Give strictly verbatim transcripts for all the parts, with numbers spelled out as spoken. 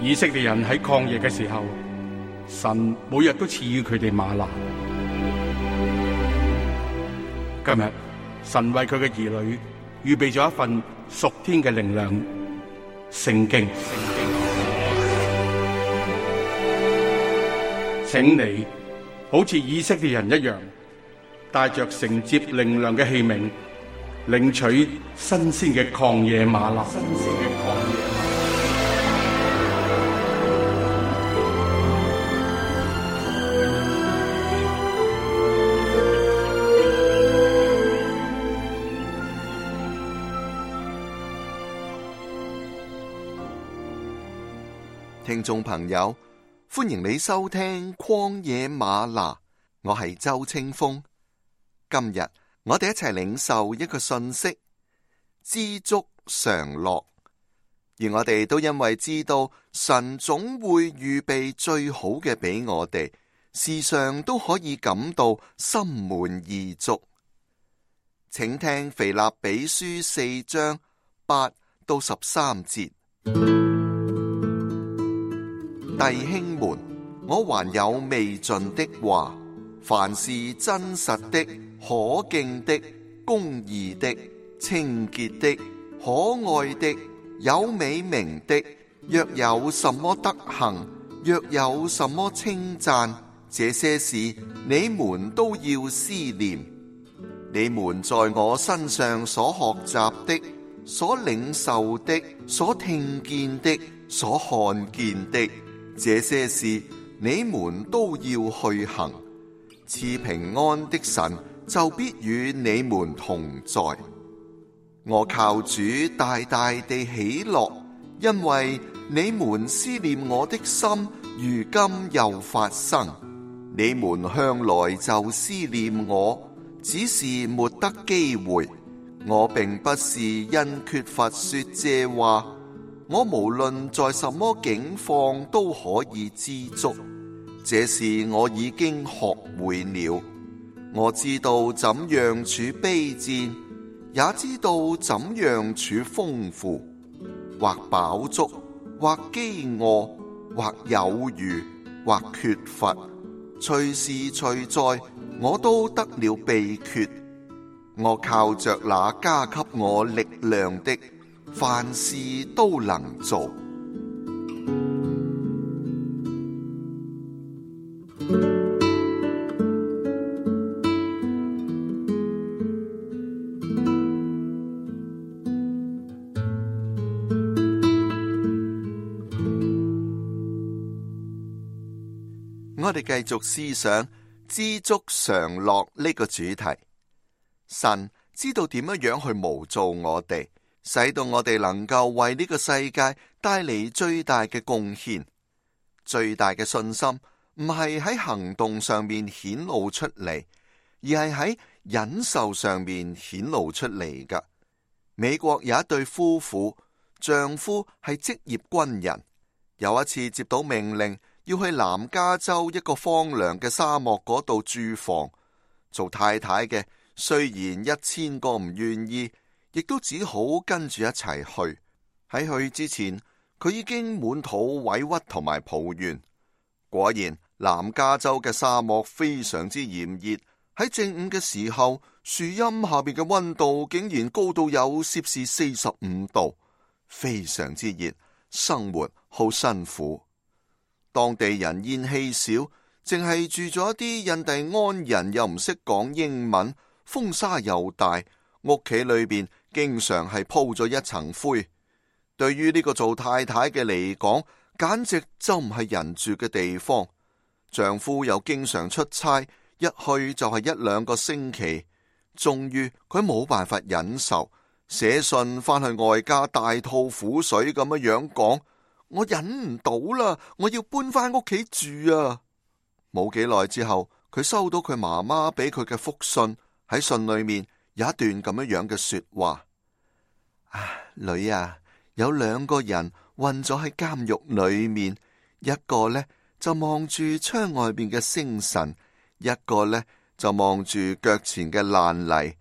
以色列人喺曠野嘅時候，神每日都賜予佢哋嗎哪。今日神為佢嘅兒女預備咗一份屬天嘅靈糧——聖經。請你好似以色列人一樣，帶着承接靈糧嘅器皿，領取新鮮嘅曠野嗎哪。新鮮嘅曠野嗎哪。聽眾朋友，歡迎你收聽曠野嗎哪，我係周清風。今日我哋一齊領受一個信息：知足常樂。而我哋都因為知道神總會預備最好嘅俾我哋，時常都可以感到心滿意足。請聽腓立比書四章八到十三節。弟兄們，我還有未盡的話，凡是真實的、可敬的、公義的、清潔的、可愛的、有美名的，若有什麼德行，若有什麼稱讚，這些事你們都要思念。你們在我身上所學習的、所領受的、所聽見的、所看見的，這些事你們都要去行，賜平安的神就必與你們同在。我靠主大大地喜樂，因為你們思念我的心如今又發生。你們向來就思念我，只是沒得機會。我並不是因缺乏說這話，我無論在什麼境況都可以知足，這事我已經學會了。我知道怎樣處卑賤，也知道怎樣處豐富，或飽足，或飢餓，或有餘，或缺乏，隨時隨在，我都得了秘訣。我靠着那加給我力量的，凡事都能做。我哋繼續思想知足常樂呢個主題。神知道點樣樣去模造我哋，使到我哋能夠為呢個世界帶嚟最大嘅貢獻。最大嘅信心唔係喺行動上面顯露出嚟，而係喺忍受上面顯露出嚟㗎。美國有一對夫婦，丈夫係職業軍人，有一次接到命令要去南加州一個荒涼嘅沙漠嗰度駐防，做太太嘅雖然一千個唔願意，亦都只好跟住一齊去。喺去之前，佢已經滿肚委屈同埋抱怨。果然，南加州嘅沙漠非常之炎熱，喺正午嘅時候，樹蔭下邊嘅溫度竟然高到有攝氏四十五度，非常之熱，生活好辛苦。當地人煙稀少，淨係住咗一啲印第安人，又唔識講英文，風沙又大，屋企裏邊經常係鋪咗一層灰。對於呢個做太太嘅嚟講，簡直就唔係人住嘅地方。丈夫又經常出差，一去就係一兩個星期。終於佢冇辦法忍受，寫信翻去外家大吐苦水咁樣樣講：我忍唔到啦，我要搬翻屋企住啊！冇幾耐之後，佢收到佢媽媽俾佢嘅覆信，喺信裏面有一段咁樣樣嘅說話：啊，女啊，有兩個人困咗喺監獄裏面，一個呢就望住窗外邊嘅星辰，一個呢就望住腳前嘅爛泥。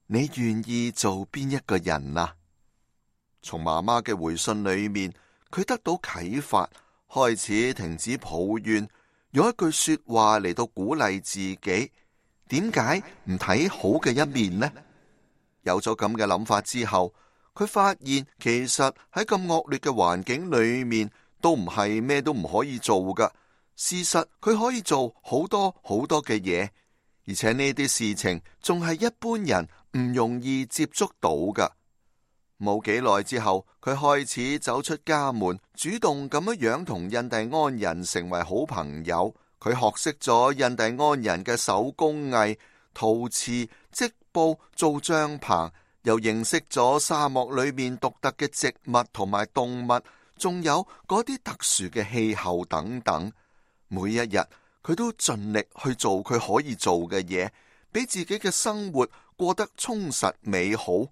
你願意做邊一個人啊？從媽媽嘅回信裏面，佢得到啟發，開始停止抱怨，用一句說話嚟到鼓勵自己。點解唔睇好嘅一面呢？有咗咁嘅諗法之後，佢發現其實喺咁惡劣嘅環境裏面，都唔係咩都唔可以做噶。事實佢可以做好多好多嘅嘢，而且呢啲事情仲係一般人唔容易接觸到噶。冇幾耐之後，佢開始走出家門，主動咁樣樣同印第安人成為好朋友。佢學識咗印第安人嘅手工藝、陶瓷、織布、做帳篷，又認識咗沙漠裏面獨特嘅植物同埋動物，仲有嗰啲特殊嘅氣候等等。每一日佢都盡力去做佢可以做嘅嘢，俾自己嘅生活過得充實美好。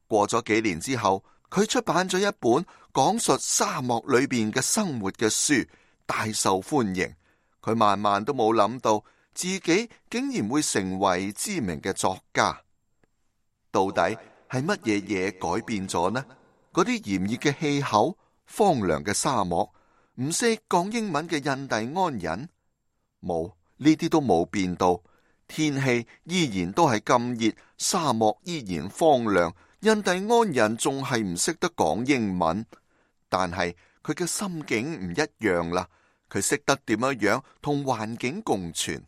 過咗幾年之後，佢出版咗一本講述沙漠裏邊嘅生活嘅書，大受歡迎。佢萬萬都冇諗到自己竟然會成為知名嘅作家。到底係乜嘢嘢改變咗呢？嗰啲炎熱嘅氣候、荒涼嘅沙漠、唔識講英文嘅印第安人，冇，呢啲都冇變到。天氣依然都係咁熱，沙漠依然荒涼，印第安人仲係唔識得講英文。但係佢嘅心境唔一樣啦。佢識得點樣樣同環境共存。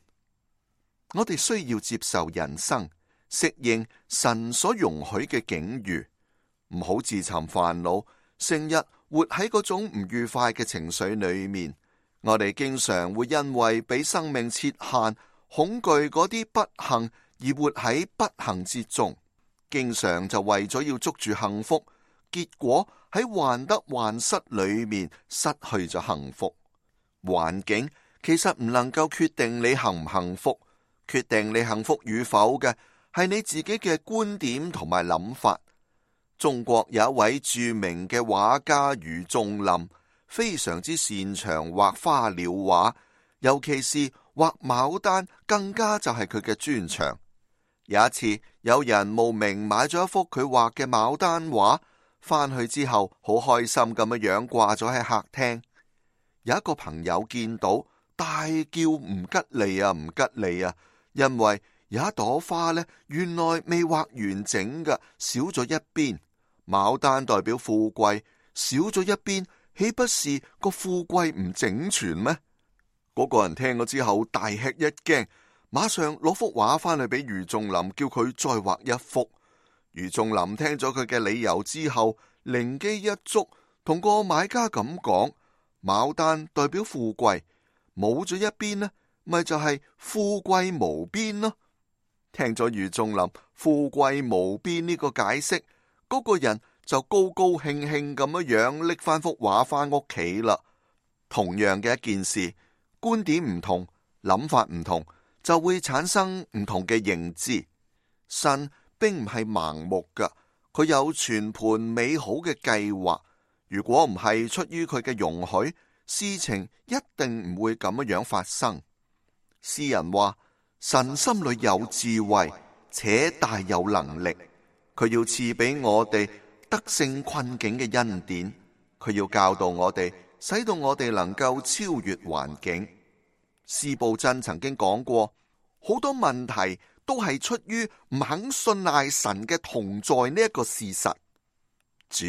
我哋需要接受人生，適應神所容許嘅境遇，唔好自尋煩惱，成日活喺嗰種唔愉快嘅情緒裏面。我哋經常會因為俾生命設限，恐懼嗰啲不幸而活喺不幸之中，經常就為咗要捉住幸福，結果喺患得患失裏面失去咗幸福。環境其實唔能夠決定你幸唔幸福，決定你幸福與否嘅係你自己嘅觀點同埋諗法。中國有一位著名嘅畫家余仲林，非常之擅長畫花鳥畫，尤其是畫牡丹，更加就係佢嘅專長。有一次，有人慕名買咗一幅佢畫嘅牡丹畫，翻去之後好開心咁樣樣掛咗喺客廳。有一個朋友見到，大叫唔吉利啊，唔吉利啊！因為有一朵花呢，原來未畫完整嘅，少咗一邊。牡丹代表富貴，少咗一邊，豈不是個富貴唔整全咩？嗰個人聽咗之後大吃一驚，馬上攞幅畫翻去俾余仲林，叫佢再畫一幅。余仲林聽咗佢嘅理由之後，靈機一觸，同個買家咁講。牡丹代表富貴，冇咗一邊呢，咪就係富貴無邊咯。聽咗余仲林富貴無邊呢個解釋，嗰個人就高高興興咁樣樣拎翻幅畫翻屋企啦。同樣嘅一件事，觀點唔同，諗法唔同，就會產生唔同嘅認知。神並唔係盲目噶，佢有全盤美好嘅計劃。如果唔係出於佢嘅容許，事情一定唔會咁樣發生。詩人話：神心裏有智慧，且大有能力，佢要賜俾我哋得勝困境嘅恩典，佢要教導我哋，使到我哋能夠超越環境。司布真曾經講過，好多問題都係出於唔肯信賴神嘅同在呢一個事實。主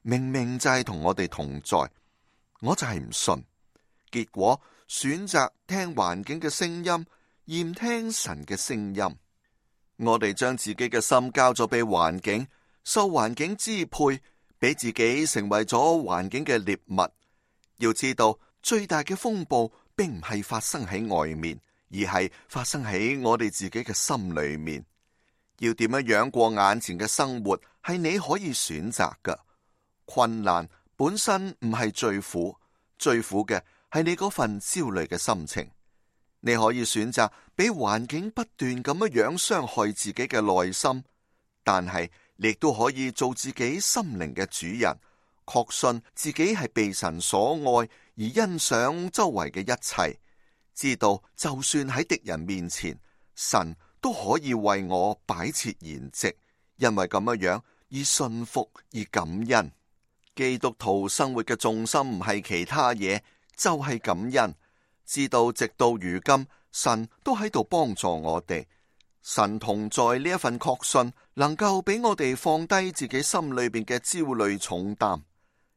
明明就係同我哋同在，我就係唔信，結果選擇聽環境嘅聲音，而唔聽神嘅聲音。我哋將自己嘅心交咗俾環境，受環境支配，俾自己成為咗環境嘅獵物。要知道，最大嘅風暴並唔係發生喺外面，而係發生喺我哋自己嘅心裏面。要點樣樣過眼前嘅生活，係你可以選擇㗎。困難本身唔係最苦，最苦嘅係你嗰份焦慮嘅心情。你可以選擇俾環境不斷咁樣樣傷害自己嘅內心，但係你亦都可以做自己心靈嘅主人，確信自己係被神所愛，而欣賞周圍嘅一切，知道就算喺敵人面前，神都可以為我擺設筵席，因為咁樣樣而信服而感恩。基督徒生活嘅重心唔係其他嘢，就係感恩，知道直到如今，神都喺度幫助我哋。神同在呢一份確信，能夠俾我哋放低自己心裏邊嘅焦慮重擔。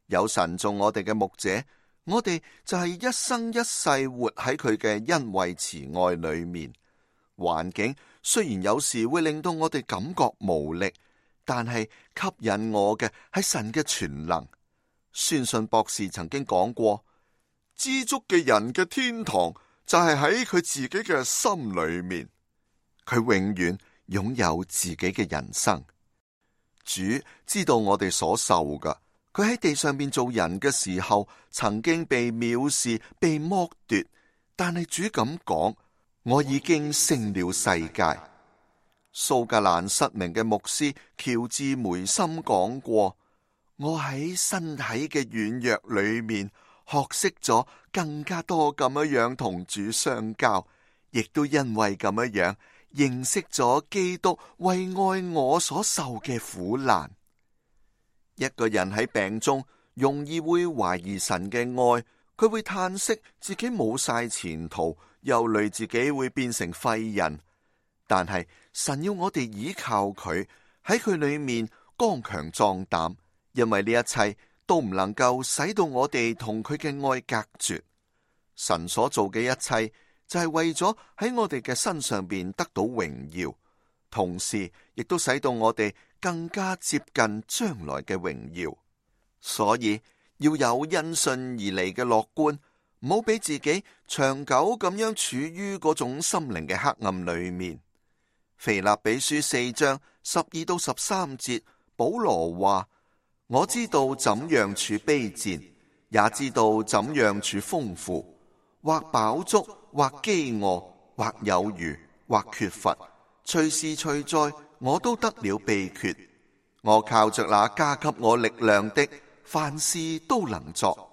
有神做我哋嘅牧者，我哋就係一生一世活喺佢嘅恩惠慈愛裏面。環境雖然有時會令到我哋感覺無力，但係吸引我嘅係神嘅全能。宣信博士曾經講過，知足嘅人嘅天堂就係喺佢自己嘅心裏面。佢永遠擁有自己嘅人生。主知道我哋所受噶，佢喺地上面做人嘅時候，曾經被藐視、被剝奪，但係主咁講：我已經勝了世界。蘇格蘭失明嘅牧師喬治梅森講過：我喺身體嘅軟弱裏面，學識咗更加多咁樣同主相交，亦都因為咁樣認識咗基督為愛我所受嘅苦難。一個人喺病中容易會懷疑神嘅愛，佢會嘆息自己冇晒前途，憂慮自己會變成廢人。但係神要我哋依靠佢，喺佢裏面剛強壯膽，因為呢一切都唔能夠使到我哋同佢嘅愛隔絕。神所做嘅一切就係為咗喺我哋嘅身上邊得到榮耀，同時亦都使到我哋更加接近將來嘅榮耀。所以要有因信而嚟嘅樂觀，唔好俾自己長久咁樣處於嗰種心靈嘅黑暗裏面。腓立比書四章十二到十三節，保羅話：我知道怎樣處卑賤，也知道怎樣處豐富，或飽足，或飢餓，或有餘，或缺乏，隨時隨在，我都得了秘訣。我靠着那加給我力量的，凡事都能作。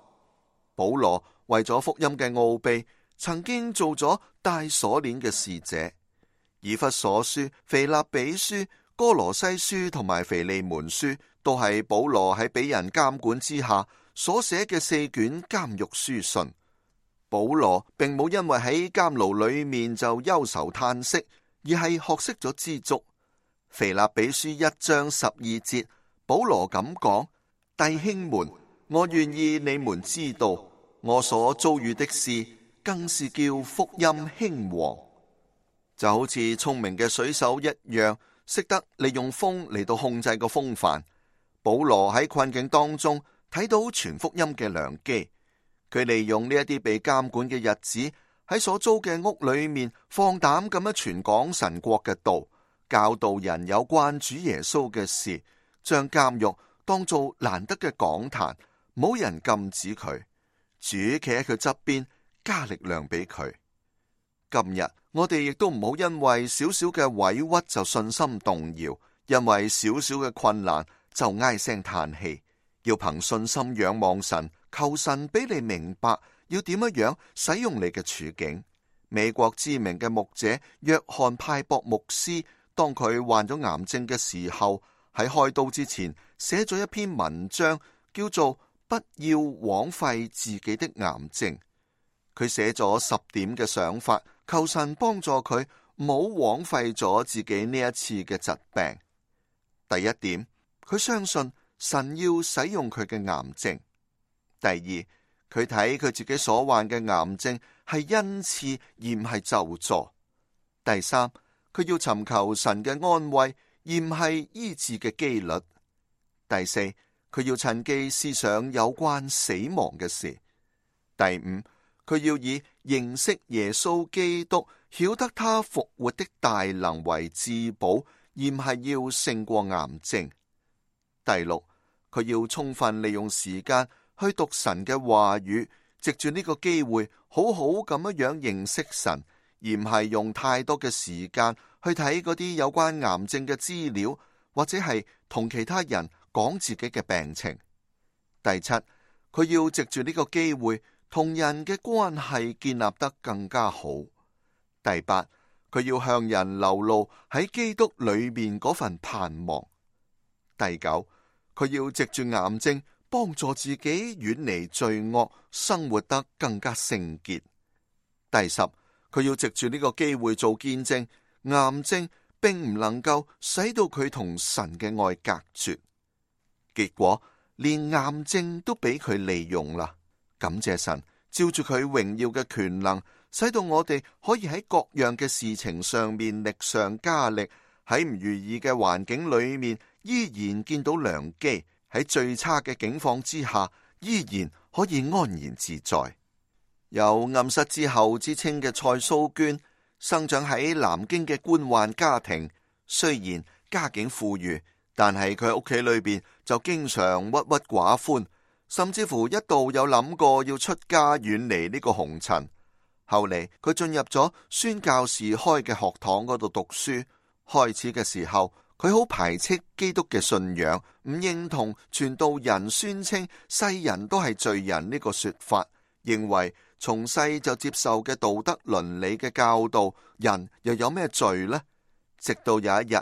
保羅為咗福音嘅奧秘，曾經做咗帶鎖鏈嘅使者。以弗所書、腓立比書、哥羅西書同埋腓利門書，都係保羅喺俾人監管之下所寫嘅四卷監獄書信。保羅並冇因為喺監牢裏面就憂愁嘆息，而係學識咗知足。腓立比書一章十二節，保羅咁講：弟兄們，我願意你們知道，我所遭遇的事，更是叫福音興旺。就好似聰明嘅水手一樣，識得利用風嚟到控制個風帆。保羅喺困境當中睇到傳福音嘅良機，佢利用呢一啲被監管嘅日子，喺所租嘅屋裏面放膽咁樣傳講神國嘅道，教導人有關主耶穌嘅事，將監獄當做難得嘅講壇，冇人禁止佢。主企喺佢側邊，加力量俾佢。今日我哋亦都唔好因為少少嘅委屈就信心動搖，因為少少嘅困難就唉聲嘆氣。要憑信心仰望神，求神俾你明白要點樣樣使用你嘅處境。美國知名嘅牧者約翰派博牧師，當佢患咗癌症嘅時候，喺開刀之前寫咗一篇文章，叫做《不要枉費自己的癌症》。佢寫咗十點嘅想法，求神幫助佢唔好枉費咗自己呢一次嘅疾病。第一點，佢相信神要使用佢嘅癌症。第二，佢睇佢自己所患嘅癌症係恩賜而唔係咒詛。第三，佢要尋求神嘅安慰而唔係醫治嘅機率。第四，佢要趁機思想有關死亡嘅事。第五，佢要以認識耶穌基督，曉得他復活的大能為至寶，而唔係要勝過癌症。第六，佢要充分利用時間去讀神嘅話語，藉住呢個機會好好咁樣樣認識神，而唔係用太多嘅時間去睇嗰啲有關癌症嘅資料，或者係同其他人講自己嘅病情。第七，佢要藉住呢個機會同人嘅關係建立得更加好。第八，佢要向人流露喺基督裏面嗰份盼望。第九，佢要藉住癌症，幫助自己遠離罪惡，生活得更加聖潔。第十，佢要藉住呢個機會做見證，癌症並唔能夠使到佢同神嘅愛隔絕。結果連癌症都俾佢利用啦。感謝神，照住佢榮耀嘅權能，使到我哋可以喺各樣嘅事情上面力上加力，喺唔如意嘅環境裏面依然見到良機，喺最差嘅境況之下依然可以安然自在。有暗室之后之稱嘅蔡蘇娟，生長喺南京嘅官宦家庭，雖然家境富裕，但係佢喺屋企裏邊就經常鬱鬱寡歡，甚至乎一度有諗過要出家遠離呢個紅塵。後嚟佢進入咗宣教士開嘅學堂嗰度讀書，開始嘅時候佢好排斥基督嘅信仰，唔認同傳道人宣稱世人都係罪人呢個說法，認為從細就接受嘅道德倫理嘅教導，人又有咩罪呢？直到有一日，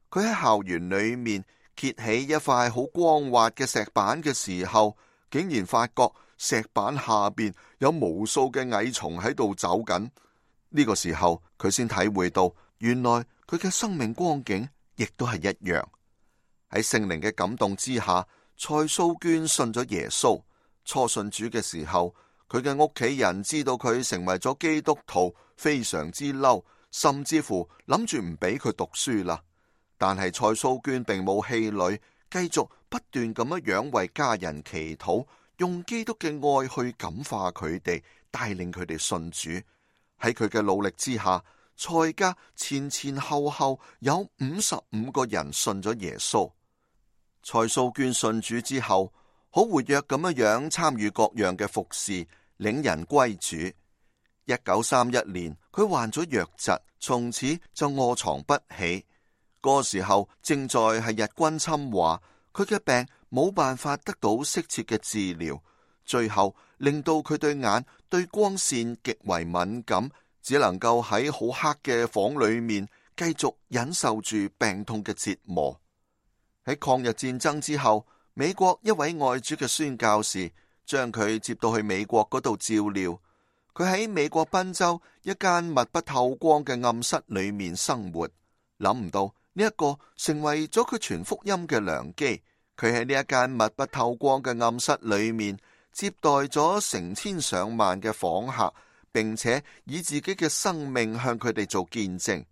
佢喺校園裏面揭起一塊好光滑嘅石板嘅時候，竟然發覺石板下邊有無數嘅蟻蟲喺度走緊。呢個時候佢先體會到，原來佢嘅生命光景亦都係一樣。喺聖靈嘅感動之下，蔡蘇娟信咗耶穌。初信主嘅時候，佢嘅屋企人知道佢成為咗基督徒，非常之嬲，甚至乎諗住唔俾佢讀書啦。但係蔡蘇娟並冇氣餒，繼續不斷咁樣樣為家人祈禱，用基督嘅愛去感化佢哋，帶領佢哋信主。喺佢嘅努力之下，蔡家前前後後有五十五個人信咗耶穌。蔡蘇娟信主之後，好活躍咁樣樣參與各樣嘅服侍，領人歸主。一九三一年，佢患咗瘧疾，從此就臥床不起。嗰時候正在係日軍侵華，佢嘅病冇辦法得到適切嘅治療，最後令到佢對眼對光線極為敏感，只能夠喺好黑嘅房裏面繼續忍受住病痛嘅折磨。喺抗日戰爭之後，美國一位愛主嘅宣教士將佢接到去美國嗰度照料。佢喺美國賓州一間密不透光嘅暗室裏面生活，諗唔到呢一個成為咗佢傳福音嘅良機。佢喺呢一間密不透光嘅暗室裏面接待咗成千上萬嘅訪客，並且以自己嘅生命向佢哋做見證。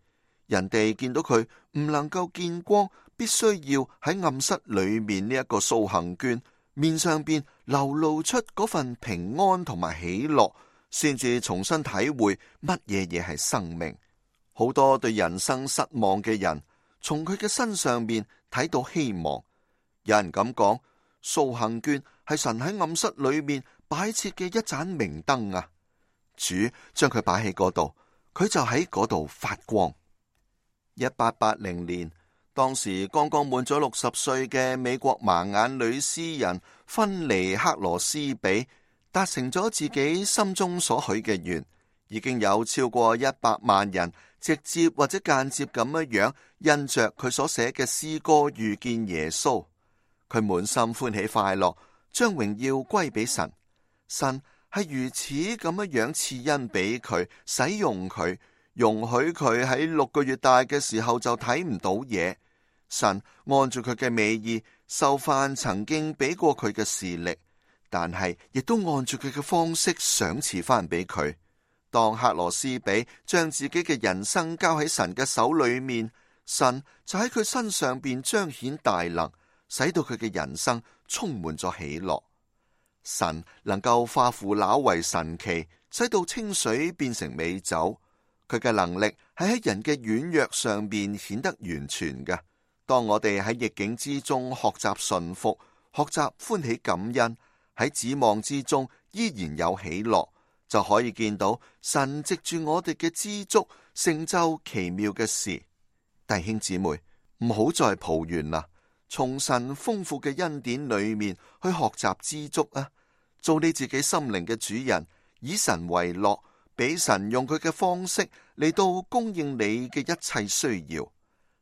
人哋見到佢唔能夠見光，必須要喺暗室裏面呢一個蘇杏娟面上邊流露出嗰份平安同埋喜樂，先至重新體會乜嘢嘢係生命。好多對人生失望嘅人，從佢嘅身上面睇到希望。有人咁講，蘇杏娟係神喺暗室裏面擺設嘅一盞明燈啊！主將佢擺喺嗰度，佢就喺嗰度發光。一八八零年，當時剛剛滿咗六十歲嘅美國盲眼女詩人芬尼克羅斯比達成咗自己心中所許嘅願，已經有超過一百萬人直接或者間接咁樣樣因着佢所寫嘅詩歌遇見耶穌。佢滿心歡喜快樂，將榮耀歸俾神。神係如此咁樣樣賜恩俾佢，使用佢，容許佢喺六個月大嘅時候就睇唔到嘢。神按住佢嘅美意收翻曾經俾過佢嘅視力，但係亦都按住佢嘅方式賞賜翻俾佢。當克羅斯比將自己嘅人生交喺神嘅手裏面，神就喺佢身上邊彰顯大能，使到佢嘅人生充滿咗喜樂。神能夠化腐朽為神奇，使到清水變成美酒。佢嘅能力係喺人嘅軟弱上邊顯得完全嘅。當我哋喺逆境之中學習順服，學習歡喜感恩，喺指望之中依然有喜樂，就可以見到神藉住我哋嘅知足，成就奇妙嘅事。弟兄姊妹，唔好再抱怨啦，從神豐富嘅恩典裏面去學習知足啊！做你自己心靈嘅主人，以神為樂，俾神用佢嘅方式嚟到供應你嘅一切需要。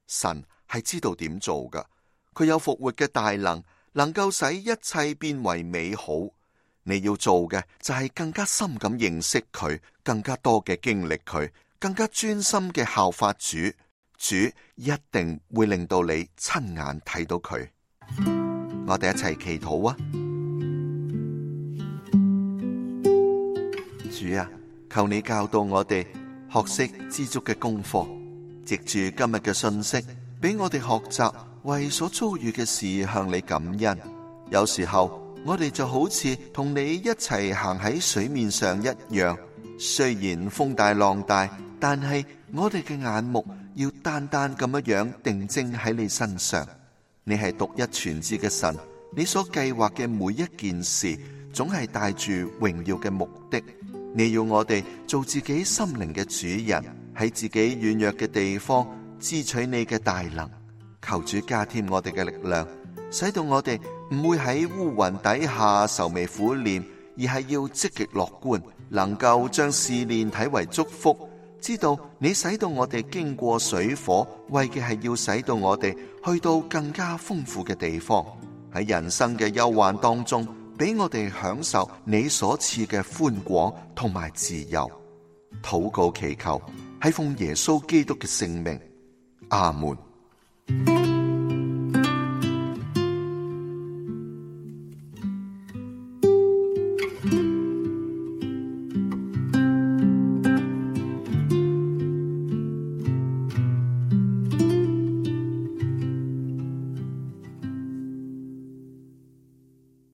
神係知道點做噶，佢有復活嘅大能，能夠使一切變為美好。你要做嘅就係更加深咁認識佢，更加多嘅經歷佢，更加專心嘅效法主。主一定會令到你親眼睇到佢。我哋一齊祈禱啊！主啊，求你教導我哋學識知足嘅功課，藉住今日嘅信息，俾我哋學習為所遭遇嘅事向你感恩。有時候我哋就好似同你一齊行喺水面上一樣，雖然風大浪大，但係我哋嘅眼目要單單咁樣定睛喺你身上。你係獨一全知嘅神，你所計劃嘅每一件事總係帶住榮耀嘅目的。你要我哋做自己心靈嘅主人，喺自己軟弱嘅地方支取你嘅大能。求主加添我哋嘅力量，使到我哋唔會喺烏雲底下愁眉苦臉，而係要積極樂觀，能夠將試煉睇為祝福。知道你使到我哋經過水火，為嘅係要使到我哋去到更加豐富嘅地方。喺人生嘅憂患當中，俾我哋享受你所賜嘅寬廣同埋自由。禱告祈求，係奉耶穌基督嘅聖名，阿門。